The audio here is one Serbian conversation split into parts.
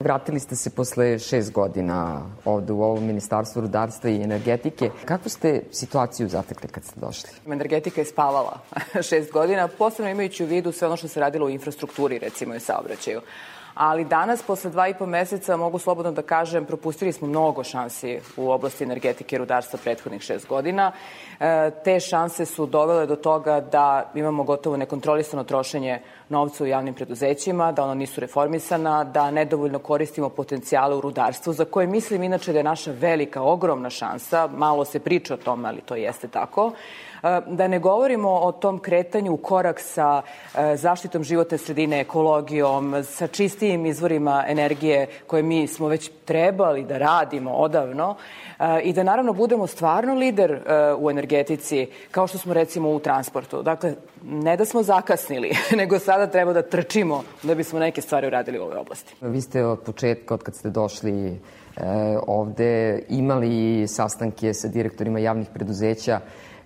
Vratili ste se posle 6 godina ovde u ovo Ministarstvo rudarstva i energetike. Kakvu ste situaciju zatekli kad ste došli? Energetika je spavala 6 godina, posebno imajući u vidu sve ono što se radilo u infrastrukturi, recimo i saobraćaju. Ali danas, posle 2,5 meseca, mogu slobodno da kažem, propustili smo mnogo šansi u oblasti energetike i rudarstva prethodnih 6 godina. Te šanse su dovele do toga da imamo gotovo nekontrolisano trošenje novca u javnim preduzećima, da ona nisu reformisana, da nedovoljno koristimo potencijale u rudarstvu, za koje mislim inače da je naša velika, ogromna šansa, malo se priča o tome, ali to jeste tako. Da ne govorimo o tom kretanju u korak sa zaštitom životne sredine, ekologijom, sa čistijim izvorima energije koje mi smo već trebali da radimo odavno i da naravno budemo stvarno lider u energetici, kao što smo recimo u transportu. Dakle, ne da smo zakasnili, nego sada treba da trčimo da bismo neke stvari uradili u ovoj oblasti. Vi ste od početka, od kad ste došli ovde, imali sastanke sa direktorima javnih preduzeća.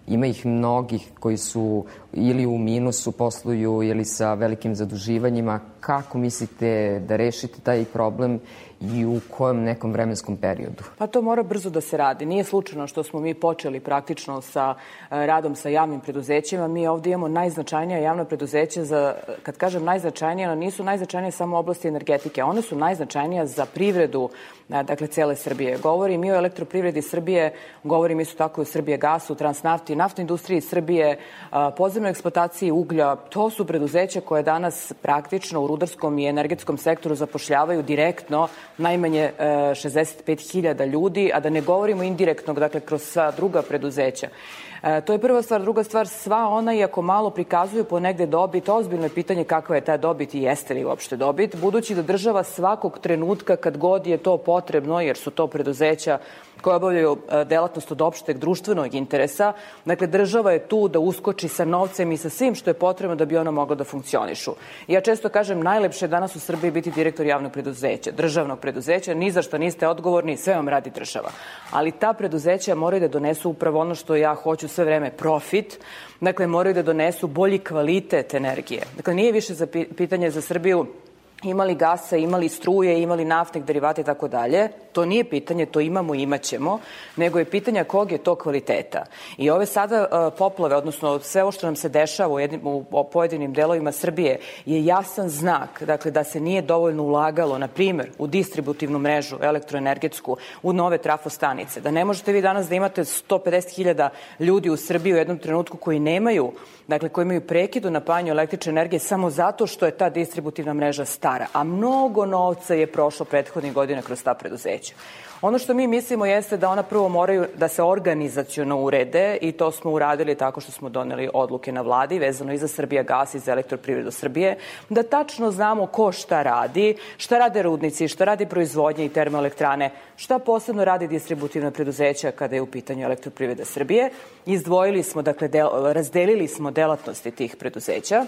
Ima ih mnogih koji su ili u minusu posluju ili sa velikim zaduživanjima. Kako mislite da rešite taj problem i u kojem nekom vremenskom periodu? Pa to mora brzo da se radi. Nije slučajno što smo mi počeli praktično sa radom sa javnim preduzećima. Mi ovde imamo najznačajnija javna preduzeća. Kad kažem najznačajnija, ona nisu najznačajnija samo u oblasti energetike. One su najznačajnija za privredu, dakle, cele Srbije. Govorim i o elektroprivredi Srbije, govorim isto tako i o Srbijagasu, Transnafti, naftnoj industriji Srbije, podzemnoj eksploataciji uglja. To su preduzeća koje danas praktično u rudarskom i energetskom sektoru zapošljavaju direktno najmanje 65.000 ljudi, a da ne govorimo indirektno, dakle, kroz sva druga preduzeća. To je prva stvar. Druga stvar, sva ona, iako malo prikazuju ponegde dobit, ozbiljno je pitanje kakva je ta dobit i jeste li uopšte dobit, budući da država svakog trenutka, kad god je to potrebno, jer su to preduzeća koje obavljaju delatnost od opšteg društvenog interesa, dakle, država je tu da uskoči sa novcem i sa svim što je potrebno da bi ona mogla da funkcionišu. Ja često kažem, najlepše je danas u Srbiji biti direktor javnog preduzeća, državnog preduzeća, ni za što niste odgovorni, sve vam radi država. Ali ta preduzeća moraju da donesu upravo ono što ja hoću sve vreme, profit, dakle, moraju da donesu bolji kvalitet energije. Dakle, nije više pitanje za Srbiju imali gasa, imali struje, imali naftnih derivata i tako dalje. To nije pitanje, to imamo i imaćemo, nego je pitanje kog je to kvaliteta. I ove sada poplave, odnosno sve ovo što nam se dešava u pojedinim delovima Srbije je jasan znak, dakle, da se nije dovoljno ulagalo, na primer, u distributivnu mrežu elektroenergetsku, u nove trafostanice. Da ne možete vi danas da imate 150.000 ljudi u Srbiji u jednom trenutku koji nemaju, dakle, koji imaju prekid u napajanju električne energije samo zato što je ta distributivna mreža stara, a mnogo novca je prošlo prethodnih godina kroz ta preduzeća. Ono što mi mislimo jeste da ona prvo moraju da se organizaciono urede i to smo uradili tako što smo doneli odluke na vladi vezano i za Srbijagas i za Elektroprivredu Srbije, da tačno znamo ko šta rade rudnici, šta radi proizvodnje i termoelektrane, šta posebno radi distributivna preduzeća kada je u pitanju Elektroprivreda Srbije. Izdvojili smo, dakle, razdelili smo delatnosti tih preduzeća.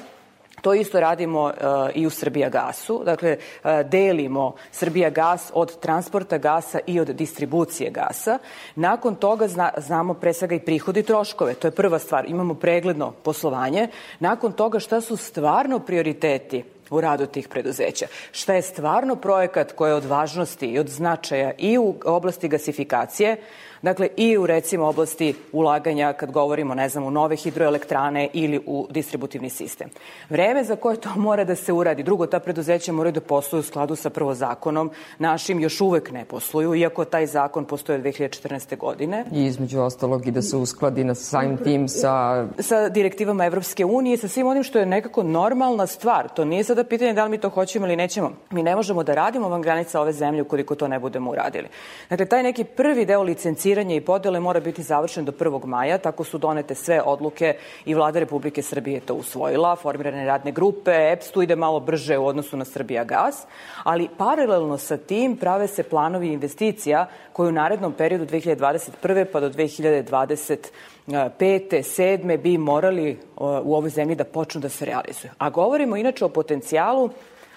To isto radimo i u Srbijagasu, dakle, delimo Srbijagas od transporta gasa i od distribucije gasa. Nakon toga znamo pre svega i prihodi i troškove, to je prva stvar, imamo pregledno poslovanje. Nakon toga šta su stvarno prioriteti u radu tih preduzeća, šta je stvarno projekat koji je od važnosti i od značaja i u oblasti gasifikacije, dakle, i u, recimo, oblasti ulaganja, kad govorimo, ne znam, u nove hidroelektrane ili u distributivni sistem. Vreme za koje to mora da se uradi. Drugo, ta preduzeća moraju da posluju u skladu sa prvo zakonom. Našim još uvek ne posluju, iako taj zakon postoje od 2014. godine. I između ostalog i da se uskladi na samim tim sa direktivama Evropske unije, sa svim onim što je nekako normalna stvar. To nije sada pitanje da li mi to hoćemo ili nećemo. Mi ne možemo da radimo van granica ove zemlje ukoliko to ne budemo uradili. Dakle, taj neki prvi deo licenciranja i podele mora biti završen do 1. maja, tako su donete sve odluke i Vlada Republike Srbije to usvojila, formirane radne grupe, EPS tu ide malo brže u odnosu na Srbijagas, ali paralelno sa tim prave se planovi investicija koji u narednom periodu 2021. pa do 2025. 7. bi morali u ovoj zemlji da počnu da se realizuju. A govorimo inače o potencijalu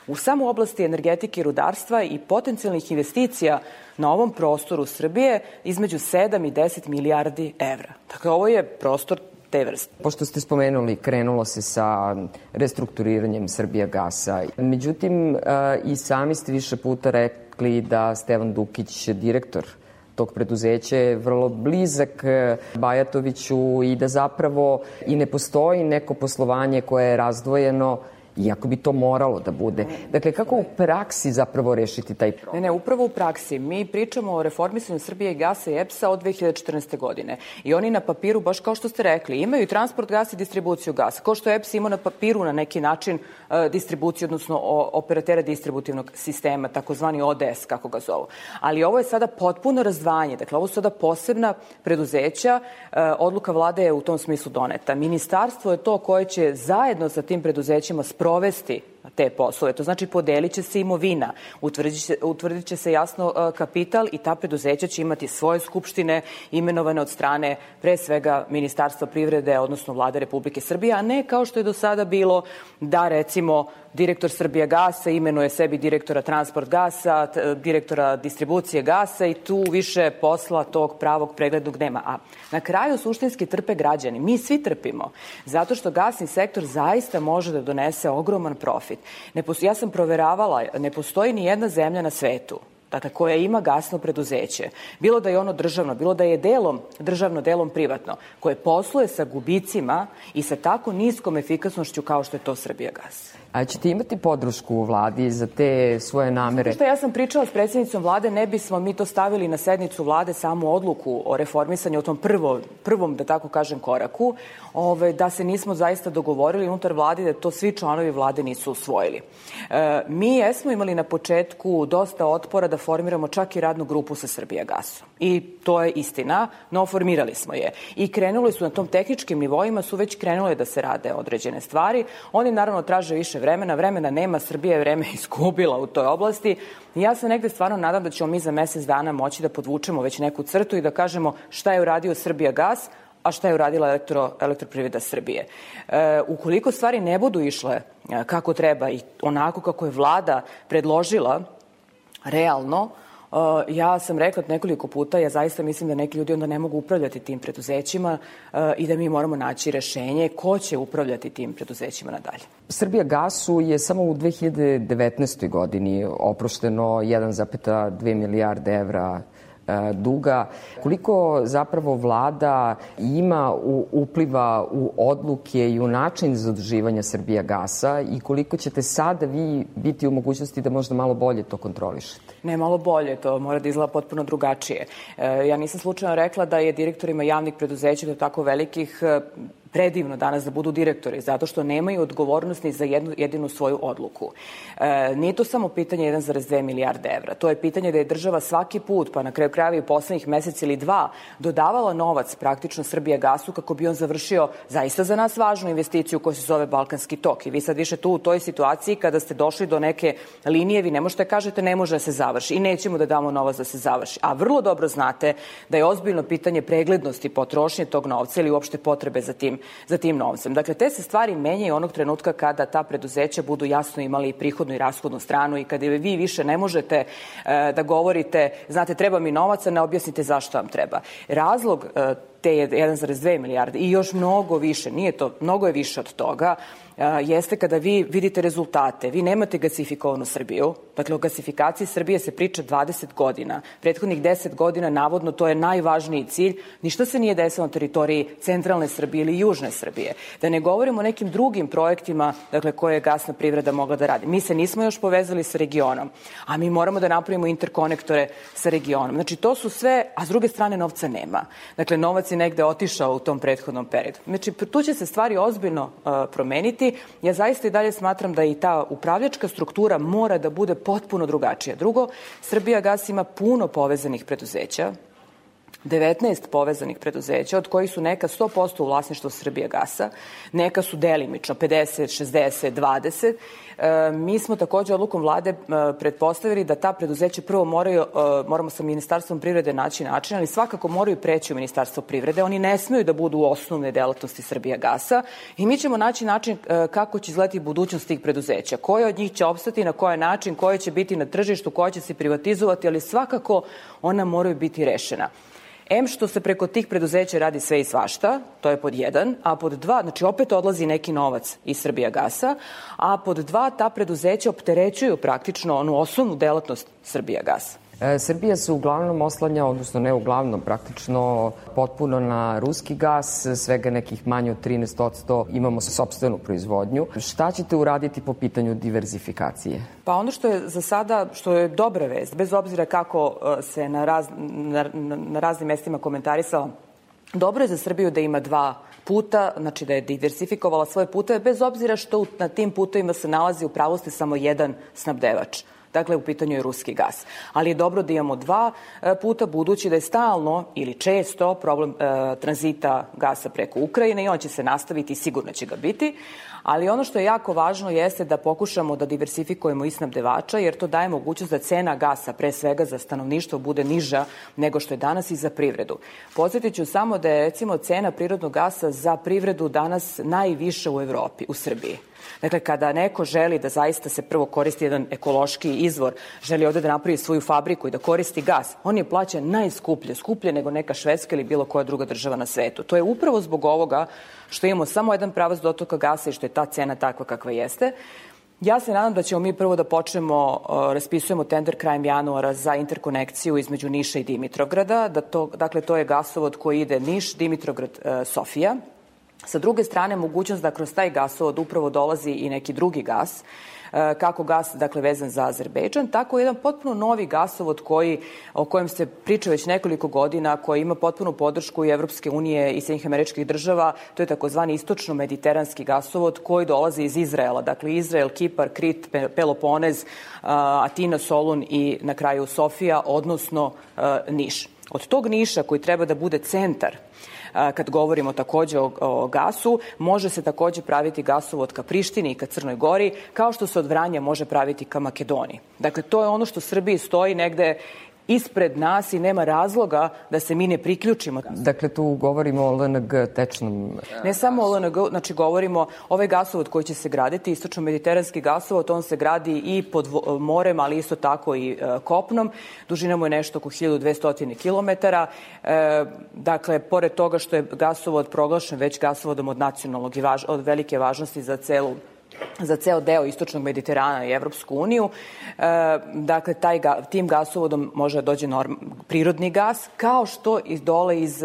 u samu oblasti energetike i rudarstva i potencijalnih investicija na ovom prostoru Srbije između 7 i 10 milijardi evra. Dakle, ovo je prostor te vrste. Pošto ste spomenuli, krenulo se sa restrukturiranjem Srbijagasa. Međutim, i sami ste više puta rekli da Stevan Dukić, direktor tog preduzeća, je vrlo blizak Bajatoviću i da zapravo i ne postoji neko poslovanje koje je razdvojeno, iako bi to moralo da bude. Dakle, kako u praksi zapravo rešiti taj problem? Ne, upravo u praksi. Mi pričamo o reformisanju Srbijagasa i EPS-a od 2014. godine. I oni na papiru, baš kao što ste rekli, imaju i transport gasa i distribuciju gasa. Kao što EPS ima na papiru na neki način distribuciju, odnosno operatera distributivnog sistema, takozvani ODS, kako ga zovu. Ali ovo je sada potpuno razdvajanje. Dakle, ovo su sada posebna preduzeća. Odluka vlade je u tom smislu doneta. Ministarstvo je to koje će zajedno sa tim preduzećima sprovesti te poslove. To znači podelit će se imovina, utvrdit će se jasno kapital i ta preduzeća će imati svoje skupštine imenovane od strane pre svega Ministarstva privrede, odnosno Vlade Republike Srbije, a ne kao što je do sada bilo da recimo direktor Srbijagasa imenuje sebi direktora transport gasa, direktora distribucije gasa i tu više posla tog pravog preglednog nema. A na kraju suštinski trpe građani. Mi svi trpimo, zato što gasni sektor zaista može da donese ogroman profit. Ja sam proveravala, ne postoji ni jedna zemlja na svetu, dakle, koja ima gasno preduzeće, bilo da je ono državno, bilo da je delom državno, delom privatno, koje posluje sa gubicima i sa tako niskom efikasnošću kao što je to Srbijagas. A ćete imati podršku u vladi za te svoje namere? Ja sam pričala s predsjednicom vlade, ne bismo mi to stavili na sednicu vlade samu odluku o reformisanju, o tom prvom, da tako kažem, koraku, da se nismo zaista dogovorili unutar vlade, da to svi članovi vlade nisu usvojili. Mi jesmo imali na početku dosta otpora da formiramo čak i radnu grupu sa Srbijagasom. I to je istina, no formirali smo je. I krenuli su na tom tehničkim nivoima, su već krenule da se rade određene stvari. Oni naravno traže više vremena nema, Srbija je vreme izgubila u toj oblasti. I ja se negde stvarno nadam da ćemo mi za mesec dana moći da podvučemo već neku crtu i da kažemo šta je uradio Srbijagas, a šta je uradila Elektroprivreda Srbije. Ukoliko stvari ne budu išle kako treba i onako kako je vlada predložila, realno, ja sam rekla nekoliko puta, ja zaista mislim da neki ljudi onda ne mogu upravljati tim preduzećima i da mi moramo naći rešenje ko će upravljati tim preduzećima nadalje. Srbijagasu je samo u 2019. godini oprošteno 1,2 milijarde evra duga. Koliko zapravo vlada ima upliva u odluke i u način zaduživanja Srbijagasa i koliko ćete sada vi biti u mogućnosti da možda malo bolje to kontrolišete? Ne, malo bolje, to mora da izgleda potpuno drugačije. Ja nisam slučajno rekla da je direktorima javnih preduzeća do tako velikih predivno danas da budu direktori, zato što nemaju odgovornost ni za jedinu svoju odluku. Nije to samo pitanje 1,2 milijarde evra. To je pitanje da je država svaki put, pa na kraju krajeva i poslednjih mesec ili dva, dodavala novac praktično Srbijagasu kako bi on završio zaista za nas važnu investiciju koja se zove Balkanski tok. I vi sad više tu u toj situaciji kada ste došli do neke linije, vi ne možete kažete ne može da se završi i nećemo da damo novac da se završi. A vrlo dobro znate da je ozbiljno pitanje preglednosti potrošnje tog novca ili uopšte potrebe za tim novcem. Dakle, te se stvari menjaju onog trenutka kada ta preduzeća budu jasno imali prihodnu i rashodnu stranu i kada vi više ne možete da govorite, znate, treba mi novac, a ne objasnite zašto vam treba. Razlog te 1,2 milijarde i još mnogo više, nije to, mnogo je više od toga, jeste kada vi vidite rezultate. Vi nemate gasifikovanu Srbiju. Dakle, o gasifikaciji Srbije se priča 20 godina. Prethodnih 10 godina, navodno, to je najvažniji cilj. Ništa se nije desilo na teritoriji centralne Srbije ili južne Srbije. Da ne govorimo o nekim drugim projektima, dakle, koje je gasna privreda mogla da radi. Mi se nismo još povezali sa regionom, a mi moramo da napravimo interkonektore sa regionom. Znači, to su sve, a s druge strane novca nema. Dakle, novac je negde otišao u tom prethodnom periodu. Znači, tu će se stvari ozbiljno promeniti. Ja zaista i dalje smatram da i ta upravljačka struktura mora da bude potpuno drugačija. Drugo, Srbijagas ima puno povezanih preduzeća, 19 povezanih preduzeća, od kojih su neka 100% u vlasništvu Srbijagasa, neka su delimično, 50, 60, 20. Mi smo takođe odlukom vlade pretpostavili da ta preduzeća prvo moramo sa Ministarstvom privrede naći način, ali svakako moraju preći u Ministarstvo privrede. Oni ne smeju da budu osnovne delatnosti Srbijagasa i mi ćemo naći način kako će izgledati budućnost tih preduzeća. Koje od njih će opstati, na koji način, koje će biti na tržištu, koje će se privatizovati, ali svakako ona moraju biti rešena. Što se preko tih preduzeća radi sve i svašta, to je pod 1, a pod 2, znači opet odlazi neki novac iz Srbijagasa, a pod 2, ta preduzeća opterećuju praktično onu osnovnu delatnost Srbijagasa. Srbija se uglavnom oslanja, odnosno ne uglavnom, praktično potpuno na ruski gas, svega nekih manje od 13% imamo sopstvenu proizvodnju. Šta ćete uraditi po pitanju diverzifikacije? Pa ono što je za sada, što je dobra vest, bez obzira kako se na raznim mestima komentarisala, dobro je za Srbiju da ima 2 puta, znači da je diversifikovala svoje puteve, bez obzira što na tim putovima se nalazi u pravosti samo jedan snabdevač. Dakle, u pitanju je ruski gas. Ali je dobro da imamo 2 puta, budući da je stalno ili često problem tranzita gasa preko Ukrajine i on će se nastaviti i sigurno će ga biti. Ali ono što je jako važno jeste da pokušamo da diversifikujemo i snabdevača, jer to daje mogućnost da cena gasa, pre svega za stanovništvo, bude niža nego što je danas i za privredu. Podsjetit ću samo da je, recimo, cena prirodnog gasa za privredu danas najviša u Evropi, u Srbiji. Dakle, kada neko želi da zaista se prvo koristi jedan ekološki izvor, želi ovde da napravi svoju fabriku i da koristi gas, on je plaćen najskuplje, skuplje nego neka Švedska ili bilo koja druga država na svetu. To je upravo zbog ovoga što imamo samo jedan pravac dotoka gasa i što je ta cena takva kakva jeste. Ja se nadam da ćemo mi prvo da počnemo, raspisujemo tender krajem januara za interkonekciju između Niša i Dimitrovgrada. Dakle, to je gasovod koji ide Niš, Dimitrovgrad, Sofija. Sa druge strane, mogućnost da kroz taj gasovod upravo dolazi i neki drugi gas, kako gas, dakle, vezan za Azerbejdžan, tako jedan potpuno novi gasovod o kojem se priča već nekoliko godina, koji ima potpunu podršku i Evropske unije i Sjedinjenih Američkih Država. To je takozvani istočno-mediteranski gasovod koji dolazi iz Izraela. Dakle, Izrael, Kipar, Krit, Peloponez, Atina, Solun i na kraju Sofija, odnosno Niš. Od tog Niša, koji treba da bude centar kad govorimo takođe o gasu, može se takođe praviti gasovod ka Prištini i ka Crnoj Gori, kao što se od Vranja može praviti ka Makedoniji. Dakle, to je ono što Srbiji stoji negde ispred nas i nema razloga da se mi ne priključimo. Dakle, tu govorimo o LNG tečnom... Ne samo o LNG, znači govorimo ovaj gasovod koji će se graditi, istočno-mediteranski gasovod, on se gradi i pod morem, ali isto tako i kopnom. Dužina mu je nešto oko 1200 km. Dakle, pored toga što je gasovod proglašen već gasovodom od nacionalnog i od velike važnosti za ceo deo istočnog Mediterana i Evropsku uniju. Dakle, tim gasovodom može da dođe prirodni gas, kao što i dole iz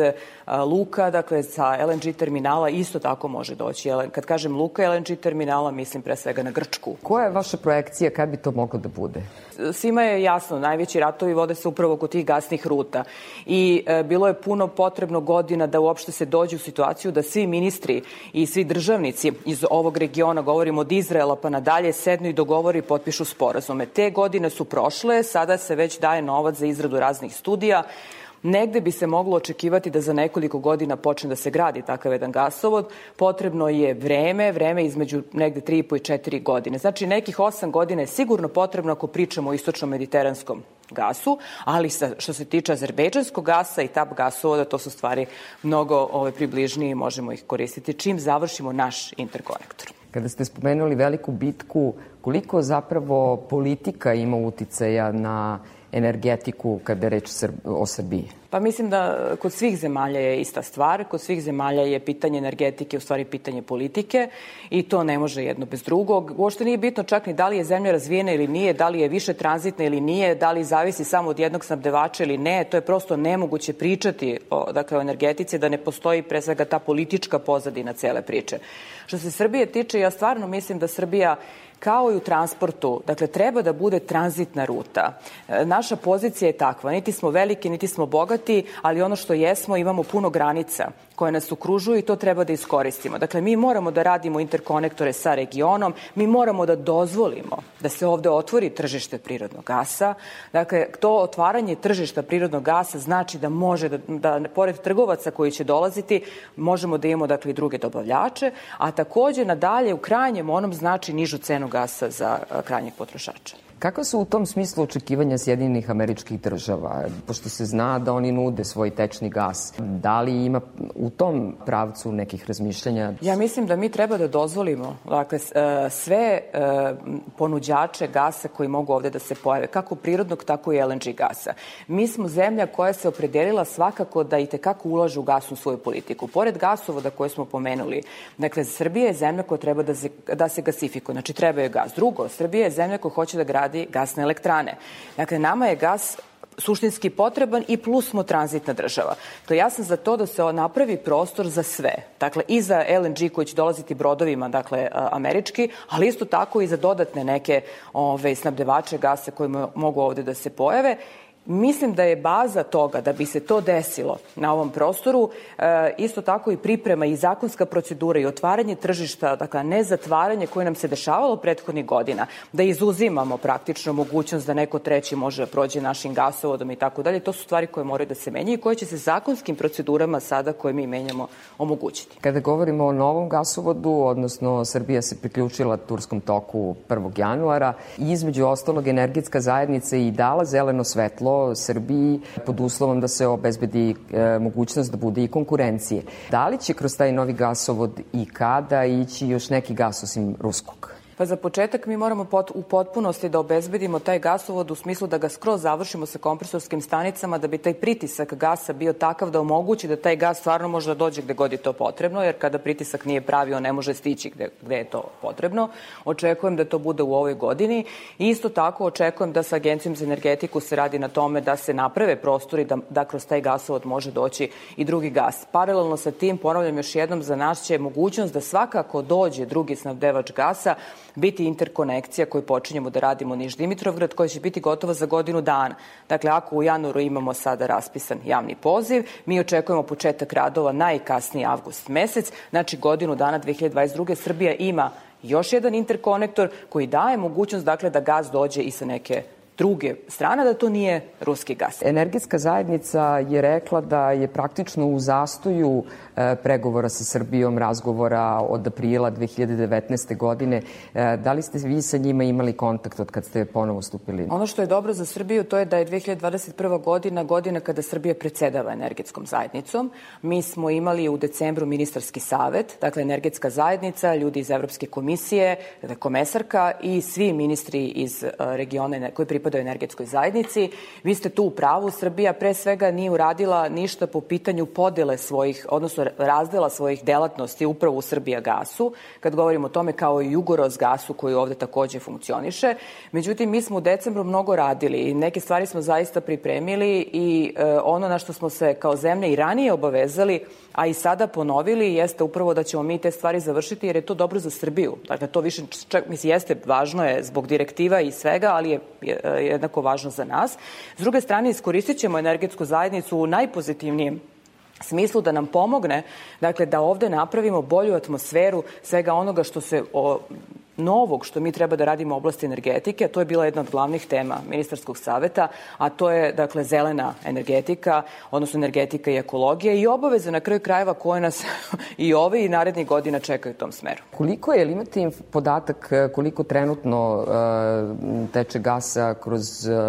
luka, dakle, sa LNG terminala isto tako može doći. Kad kažem luka LNG terminala, mislim pre svega na Grčku. Koja je vaša projekcija, kad bi to moglo da bude? Svima je jasno, najveći ratovi vode se upravo kod tih gasnih ruta i bilo je puno potrebno godina da uopšte se dođe u situaciju da svi ministri i svi državnici iz ovog regiona, govorimo od Izraela pa nadalje, sednu i dogovori i potpišu sporazume. Te godine su prošle, sada se već daje novac za izradu raznih studija. Negde bi se moglo očekivati da za nekoliko godina počne da se gradi takav jedan gasovod. Potrebno je vreme između negde 3,5 i 4 godine. Znači, nekih 8 godina je sigurno potrebno ako pričamo o istočno-mediteranskom gasu, ali što se tiče azerbejdžanskog gasa i TAP gasovoda, to su stvari mnogo približnije i možemo ih koristiti čim završimo naš interkonektor. Kada ste spomenuli veliku bitku, koliko zapravo politika ima uticaja na energetiku kada je reč o Srbiji? Pa mislim da kod svih zemalja je ista stvar. Kod svih zemalja je pitanje energetike u stvari pitanje politike i to ne može jedno bez drugog. Uopšte nije bitno čak ni da li je zemlja razvijena ili nije, da li je više tranzitna ili nije, da li zavisi samo od jednog snabdevača ili ne. To je prosto nemoguće pričati o energetici, da ne postoji pre svega ta politička pozadina cele priče. Što se Srbije tiče, ja stvarno mislim da Srbija kao i u transportu, dakle, treba da bude tranzitna ruta. Naša pozicija je takva, niti smo veliki, niti smo bogati, ali ono što jesmo, imamo puno granica koje nas okružuju i to treba da iskoristimo. Dakle, mi moramo da radimo interkonektore sa regionom, mi moramo da dozvolimo da se ovde otvori tržište prirodnog gasa. Dakle, to otvaranje tržišta prirodnog gasa znači da može da pored trgovaca koji će dolaziti, možemo da imamo, dakle, i druge dobavljače, a takođe nadalje u krajnjem onom znači nižu cenu gasa za krajnjeg potrošača. Kakva su u tom smislu očekivanja Sjedinjenih Američkih Država? Pošto se zna da oni nude svoj tečni gas. Da li ima u tom pravcu nekih razmišljanja? Ja mislim da mi treba da dozvolimo sve ponuđače gasa koji mogu ovde da se pojave, kako prirodnog, tako i LNG gasa. Mi smo zemlja koja se opredelila svakako da i tekako ulaže u gasnu svoju politiku. Pored gasovoda koje smo pomenuli, dakle, Srbija je zemlja koja treba da se gasifikuje, znači treba je gas. Drugo, Srbija je zemlja koja hoće da gradi gasne elektrane. Dakle, nama je gas suštinski potreban i plus smo tranzitna država. To ja sam za to da se napravi prostor za sve. Dakle, i za LNG koji će dolaziti brodovima, dakle, američki, ali isto tako i za dodatne neke snabdevače gasa koji mogu ovde da se pojave. Mislim da je baza toga da bi se to desilo na ovom prostoru isto tako i priprema i zakonska procedura i otvaranje tržišta, dakle ne zatvaranje koje nam se dešavalo prethodnih godina, da izuzimamo praktično mogućnost da neko treći može da prođe našim gasovodom i tako dalje. To su stvari koje moraju da se menjaju i koje će se zakonskim procedurama sada koje mi menjamo omogućiti. Kada govorimo o novom gasovodu, odnosno Srbija se priključila Turskom toku 1. januara i između ostalog energetska zajednica i dala zeleno svetlo Srbiji pod uslovom da se obezbedi mogućnost da bude i konkurencije. Da li će kroz taj novi gasovod i kada ići još neki gas osim ruskog? Pa za početak mi moramo u potpunosti da obezbedimo taj gasovod u smislu da ga skroz završimo sa kompresorskim stanicama da bi taj pritisak gasa bio takav da omogući da taj gas stvarno može da dođe gde god je to potrebno, jer kada pritisak nije pravi, on ne može stići gde je to potrebno. Očekujem da to bude u ovoj godini i isto tako očekujem da sa Agencijom za energetiku se radi na tome da se naprave prostori da kroz taj gasovod može doći i drugi gas. Paralelno sa tim, ponavljam još jednom, za nas će mogućnost da svakako dođe drugi snabdevač gasa biti interkonekcija koju počinjemo da radimo Niš-Dimitrovgrad, koja će biti gotova za godinu dana. Dakle, ako u januaru imamo sada raspisan javni poziv, mi očekujemo početak radova najkasniji avgust mesec, znači godinu dana 2022. Srbija ima još jedan interkonektor koji daje mogućnost, dakle, da gas dođe i sa neke druge strane, da to nije ruski gas. Energetska zajednica je rekla da je praktično u zastoju pregovora sa Srbijom, razgovora od aprila 2019. godine. Da li ste vi sa njima imali kontakt od kad ste ponovo stupili? Ono što je dobro za Srbiju to je da je 2021. godina kada Srbija predsedava energetskom zajednicom. Mi smo imali u decembru ministarski savet, dakle energetska zajednica, ljudi iz Evropske komisije, komesarka i svi ministri iz regiona koji pripadaju energetskoj zajednici. Vi ste tu u pravu, Srbija pre svega nije uradila ništa po pitanju podele svojih, odnosno razdela svojih delatnosti upravo u Srbijagasu, kad govorimo o tome kao i Jugorosgasu koji ovde takođe funkcioniše. Međutim, mi smo u decembru mnogo radili i neke stvari smo zaista pripremili i ono na što smo se kao zemlja i ranije obavezali, a i sada ponovili, jeste upravo da ćemo mi te stvari završiti jer je to dobro za Srbiju. Dakle, to više, jeste važno je zbog direktiva i svega, ali je jednako važno za nas. S druge strane, iskoristit ćemo energetsku zajednicu u najpozitivnijem smislu da nam pomogne, dakle, da ovde napravimo bolju atmosferu svega onoga što se novog što mi treba da radimo u oblasti energetike, a to je bila jedna od glavnih tema ministarskog saveta, a to je, dakle, zelena energetika, odnosno energetika i ekologija i obaveze na kraju krajeva koje nas i ove i narednih godina čekaju u tom smeru. Koliko je, ili imate podatak koliko trenutno teče gasa kroz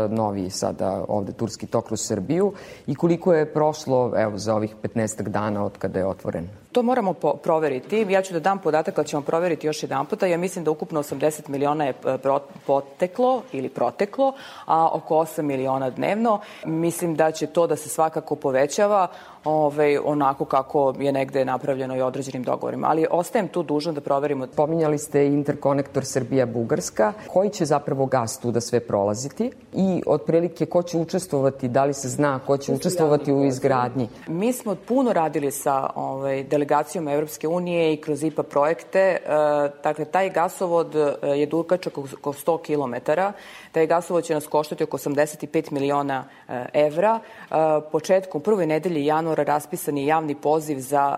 novi sada ovde Turski tok kroz Srbiju i koliko je prošlo, evo, za ovih 15 dana od kada je otvoren? To moramo proveriti. Ja ću da dam podatak, ali ćemo proveriti još jedan puta. Ja mislim da ukupno 80 miliona je proteklo, a oko 8 miliona dnevno. Mislim da će to da se svakako povećava onako kako je negde napravljeno i određenim dogovorima. Ali ostajem tu dužna da proverimo. Pominjali ste interkonektor Srbija-Bugarska. Koji će zapravo gas tu da sve prolaziti i otprilike ko će učestvovati, da li se zna ko će učestvovati u izgradnji? Mi smo puno radili sa delegacijom Evropske unije i kroz IPA projekte. Dakle, taj gasovod je dugačak oko 100 km. Taj gasovod će nas koštati oko 85 miliona evra. Početkom prvoj nedelje januara raspisan je javni poziv za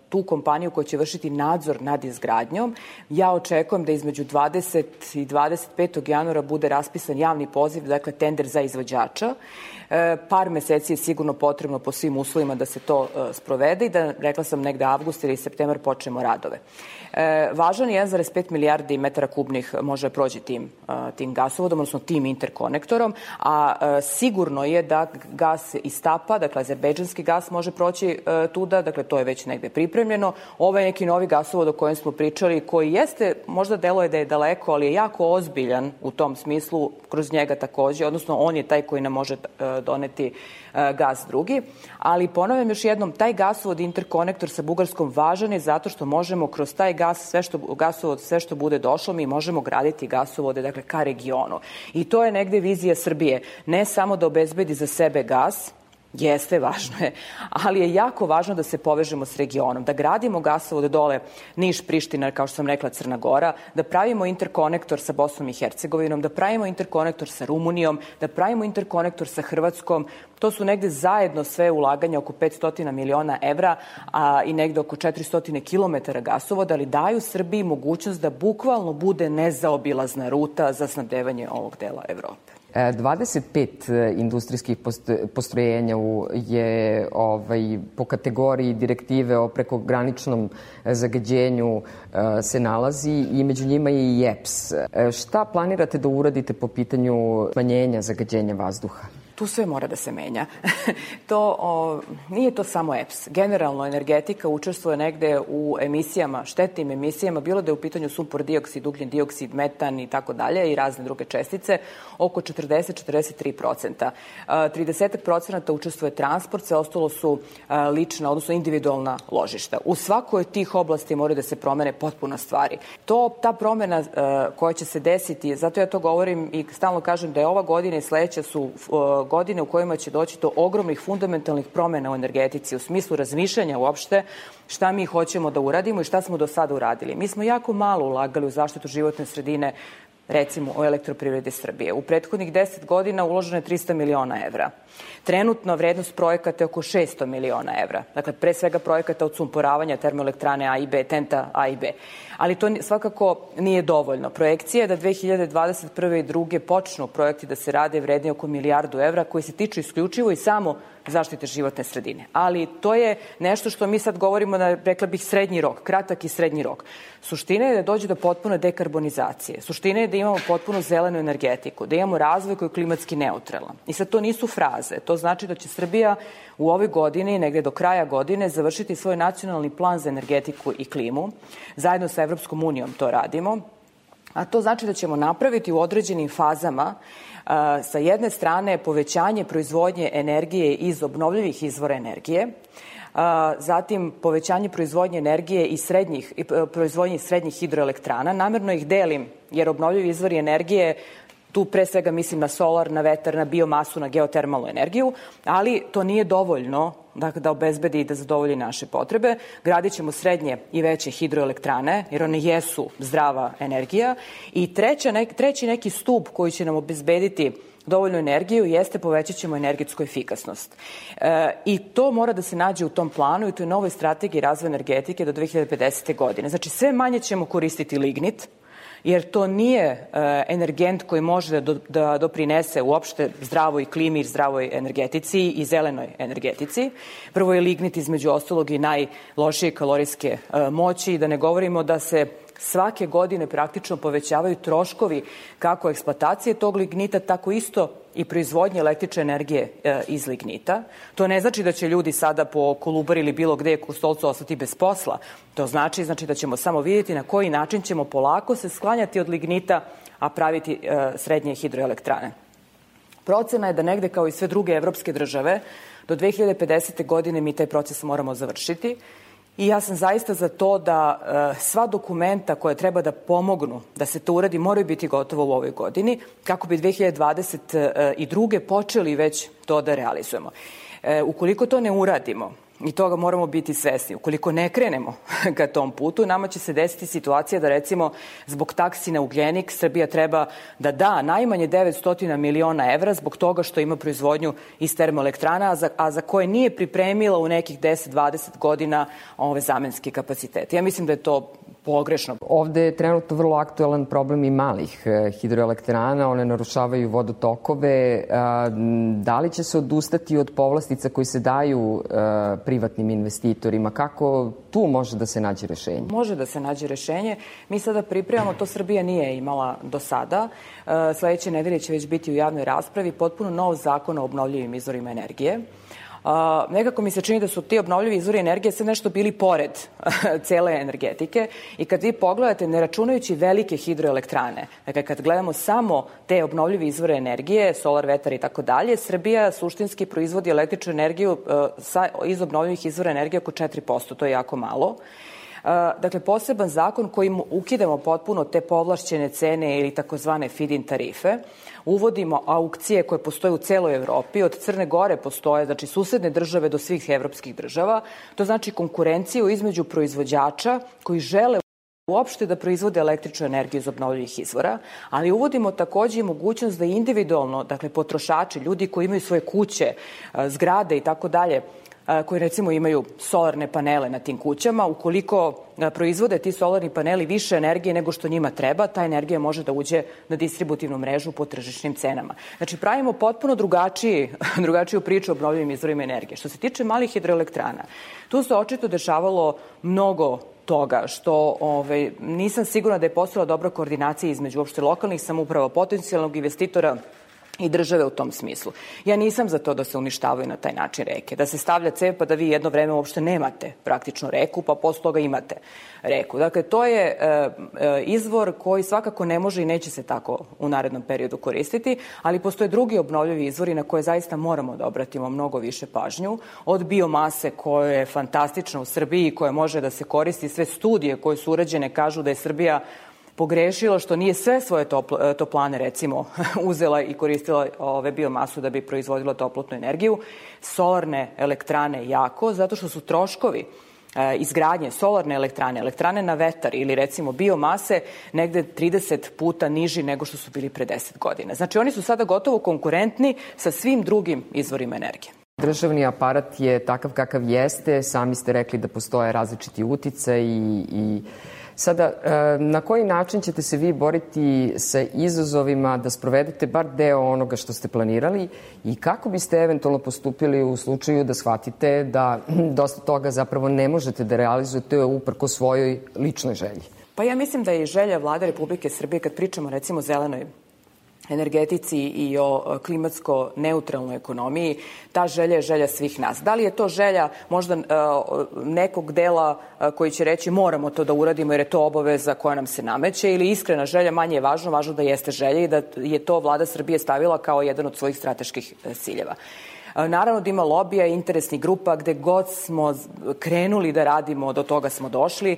tu kompaniju koja će vršiti nadzor nad izgradnjom. Ja očekujem da između 20. i 25. januara bude raspisan javni poziv, dakle tender za izvođača. Par meseci je sigurno potrebno po svim uslovima da se to sprovede i da, rekla sam, negde avgust ili septembar počnemo radove. Važan je 1,5 milijardi metara kubnih može proći tim gasovodom, odnosno tim interkonektorom, a sigurno je da gas iz Tapa, dakle azerbejdžanski gas može proći tuda, dakle to je već negde pripremljeno. Ovo je neki novi gasovod o kojem smo pričali, koji jeste, možda deluje da je daleko, ali je jako ozbiljan u tom smislu, kroz njega takođe, odnosno on je taj koji nam može doneti gas drugi, ali ponavljam još jednom, taj gasovod interkonektor sa Bugarskom važan je zato što možemo kroz taj gasovod, sve što bude došlo, mi možemo graditi gasovode, dakle, ka regionu. I to je negde vizija Srbije. Ne samo da obezbedi za sebe gas, jeste, važno je, ali je jako važno da se povežemo s regionom, da gradimo gasovode dole Niš, Priština, kao što sam rekla, Crna Gora, da pravimo interkonektor sa Bosnom i Hercegovinom, da pravimo interkonektor sa Rumunijom, da pravimo interkonektor sa Hrvatskom. To su negde zajedno sve ulaganja oko 500 miliona evra i negde oko 400 kilometara gasovoda, ali daju Srbiji mogućnost da bukvalno bude nezaobilazna ruta za snabdevanje ovog dela Evrope. 25 industrijskih postrojenja je po kategoriji direktive o prekograničnom zagađenju se nalazi i među njima je i EPS. Šta planirate da uradite po pitanju smanjenja zagađenja vazduha? Tu sve mora da se menja. Nije to samo EPS. Generalno, energetika učestvuje negde u emisijama, štetnim emisijama, bilo da je u pitanju sumpor dioksid, ugljen dioksid, metan i tako dalje i razne druge čestice, oko 40-43%. 30% učestvuje transport, sve ostalo su lična, odnosno individualna ložišta. U svakoj od tih oblasti mora da se promene potpuno stvari. Ta promena koja će se desiti, zato ja to govorim i stalno kažem da je ova godina i sledeća su godine u kojima će doći do ogromnih fundamentalnih promena u energetici, u smislu razmišljanja uopšte šta mi hoćemo da uradimo i šta smo do sada uradili. Mi smo jako malo ulagali u zaštitu životne sredine, recimo o Elektroprivredi Srbije. U prethodnih 10 godina uloženo je 300 miliona evra. Trenutno vrednost projekata je oko 600 miliona evra. Dakle, pre svega projekata od sumporavanja termoelektrane A i B, TENTA A i B. Ali to svakako nije dovoljno. Projekcija je da 2021. i 2022. počnu projekti da se rade vredni oko milijardu evra koji se tiču isključivo i samo zaštite životne sredine. Ali to je nešto što mi sad govorimo na, rekla bih, srednji rok, kratak i srednji rok. Suština je da dođe do potpune dekarbonizacije. Suština je da imamo potpuno zelenu energetiku, da imamo razvoj koji je klimatski neutralan. I sad to nisu fraze. To znači da će Srbija u ovoj godini, negde do kraja godine, završiti svoj nacionalni plan za energetiku i klimu. Zajedno sa Evropskom unijom to radimo. A to znači da ćemo napraviti u određenim fazama sa jedne strane povećanje proizvodnje energije iz obnovljivih izvora energije, zatim povećanje proizvodnje energije i proizvodnje srednjih hidroelektrana. Namerno ih delim jer obnovljivi izvori energije, tu pre svega mislim na solar, na vetar, na biomasu, na geotermalnu energiju, ali to nije dovoljno da obezbedi i da zadovolji naše potrebe. Gradit ćemo srednje i veće hidroelektrane, jer one jesu zdrava energija. I treći neki stup koji će nam obezbediti dovoljnu energiju jeste povećat ćemo energetsku efikasnost. I to mora da se nađe u tom planu i to je novoj strategiji razvoja energetike do 2050. godine. Znači, sve manje ćemo koristiti lignit, jer to nije energent koji može da doprinese uopšte zdravoj klimi, zdravoj energetici i zelenoj energetici. Prvo je lignit između ostalog i najlošije kalorijske moći, da ne govorimo da se svake godine praktično povećavaju troškovi kako eksploatacije tog lignita, tako isto i proizvodnje električne energije iz lignita. To ne znači da će ljudi sada po Kolubari ili bilo gde u Stolcu ostati bez posla. To znači da ćemo samo vidjeti na koji način ćemo polako se sklanjati od lignita, a praviti srednje hidroelektrane. Procena je da negde kao i sve druge evropske države do 2050. godine mi taj proces moramo završiti. I ja sam zaista za to da sva dokumenta koja treba da pomognu da se to uradi moraju biti gotovo u ovoj godini, kako bi 2022. počeli već to da realizujemo. Ukoliko to ne uradimo, I toga moramo biti svesni. Ukoliko ne krenemo ka tom putu, nama će se desiti situacija da recimo zbog taksi na ugljenik Srbija treba da da najmanje 900 miliona evra zbog toga što ima proizvodnju iz termoelektrana, a za koje nije pripremila u nekih 10-20 godina ove zamenske kapacitete. Ja mislim da je to pogrešno. Ovde je trenutno vrlo aktuelan problem i malih hidroelektrana, one narušavaju vodotokove. Da li će se odustati od povlastica koji se daju privatnim investitorima? Kako tu može da se nađe rešenje? Može da se nađe rešenje. Mi sada pripremamo, to Srbija nije imala do sada. Sledeće nedelje će već biti u javnoj raspravi potpuno nov zakon o obnovljivim izvorima energije. Nekako mi se čini da su ti obnovljivi izvori energije sve nešto bili pored cele energetike i kad vi pogledate, ne računajući velike hidroelektrane, dakle kad gledamo samo te obnovljive izvore energije, solar, vetar i tako dalje, Srbija suštinski proizvodi električnu energiju iz obnovljivih izvora energije oko 4%, to je jako malo. Dakle, poseban zakon kojim ukidamo potpuno te povlašćene cene ili takozvane feed-in tarife, uvodimo aukcije koje postoje u celoj Evropi, od Crne Gore postoje, znači susedne države do svih evropskih država, to znači konkurenciju između proizvođača koji žele uopšte da proizvode električnu energiju iz obnovljivih izvora, ali uvodimo takođe i mogućnost da individualno, dakle potrošači, ljudi koji imaju svoje kuće, zgrade i tako dalje, koji recimo imaju solarne panele na tim kućama, ukoliko proizvode ti solarni paneli više energije nego što njima treba, ta energija može da uđe na distributivnu mrežu po tržišnim cenama. Znači pravimo potpuno drugačiju priču o obnovljivim izvorima energije. Što se tiče malih hidroelektrana, tu se očito dešavalo mnogo toga što nisam sigurna da je postojala dobra koordinacija između uopšte lokalnih samouprava, potencijalnog investitora i države u tom smislu. Ja nisam za to da se uništavaju na taj način reke, da se stavlja cev pa da vi jedno vreme uopšte nemate praktično reku, pa posle toga imate reku. Dakle, to je izvor koji svakako ne može i neće se tako u narednom periodu koristiti, ali postoje drugi obnovljivi izvori na koje zaista moramo da obratimo mnogo više pažnju, od biomase koja je fantastična u Srbiji i koja može da se koristi. Sve studije koje su urađene kažu da je Srbija pogrešila što nije sve svoje toplane recimo uzela i koristila biomasu da bi proizvodila toplotnu energiju. Solarne elektrane jako, zato što su troškovi izgradnje solarne elektrane, elektrane na vetar ili recimo biomase negde 30 puta niži nego što su bili pre 10 godina. Znači oni su sada gotovo konkurentni sa svim drugim izvorima energije. Državni aparat je takav kakav jeste, sami ste rekli da postoje različiti uticaj i sada, na koji način ćete se vi boriti sa izazovima da sprovedete bar deo onoga što ste planirali i kako biste eventualno postupili u slučaju da shvatite da dosta toga zapravo ne možete da realizujete uprko svojoj ličnoj želji? Pa ja mislim da je želja Vlade Republike Srbije, kad pričamo recimo o zelenoj energetici i o klimatsko neutralnoj ekonomiji, ta želja je želja svih nas. Da li je to želja možda nekog dela koji će reći moramo to da uradimo jer je to obaveza koja nam se nameće ili iskrena želja, manje je važno da jeste želja i da je to Vlada Srbije stavila kao jedan od svojih strateških ciljeva. Naravno da ima lobija i interesnih grupa, gde god smo krenuli da radimo, do toga smo došli.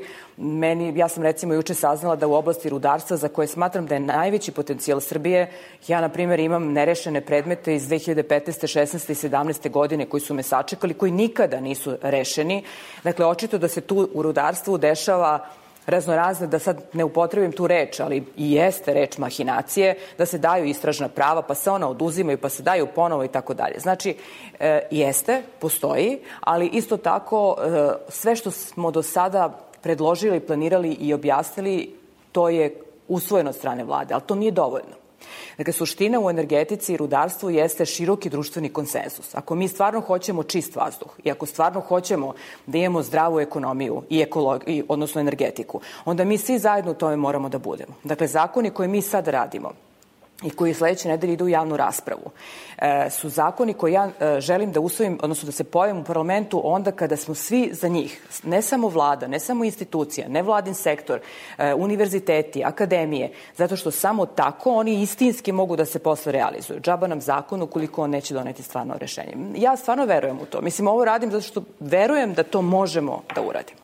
Ja sam recimo juče saznala da u oblasti rudarstva, za koje smatram da je najveći potencijal Srbije, ja na primjer imam nerešene predmete iz 2015. 16. i 17. godine koji su me sačekali, koji nikada nisu rešeni. Dakle, očito da se tu u rudarstvu dešava raznorazne, da sad ne upotrebim tu reč, ali i jeste reč mahinacije, da se daju istražna prava, pa se ona oduzimaju, pa se daju ponovo i tako dalje. Znači, jeste, postoji, ali isto tako sve što smo do sada predložili, planirali i objasnili, to je usvojeno od strane vlade, ali to nije dovoljno. Dakle, suština u energetici i rudarstvu jeste široki društveni konsenzus. Ako mi stvarno hoćemo čist vazduh i ako stvarno hoćemo da imamo zdravu ekonomiju i odnosno energetiku, onda mi svi zajedno u tome moramo da budemo. Dakle, zakoni koje mi sad radimo i koji sledeće nedelje idu u javnu raspravu, su zakoni koje ja želim da usvojim, odnosno da se pojavim u parlamentu onda kada smo svi za njih, ne samo vlada, ne samo institucija, ne vladin sektor, univerziteti, akademije, zato što samo tako oni istinski mogu da se posle realizuju. Džaba nam zakon ukoliko on neće doneti stvarno rešenje. Ja stvarno verujem u to. Mislim, ovo radim zato što verujem da to možemo da uradimo.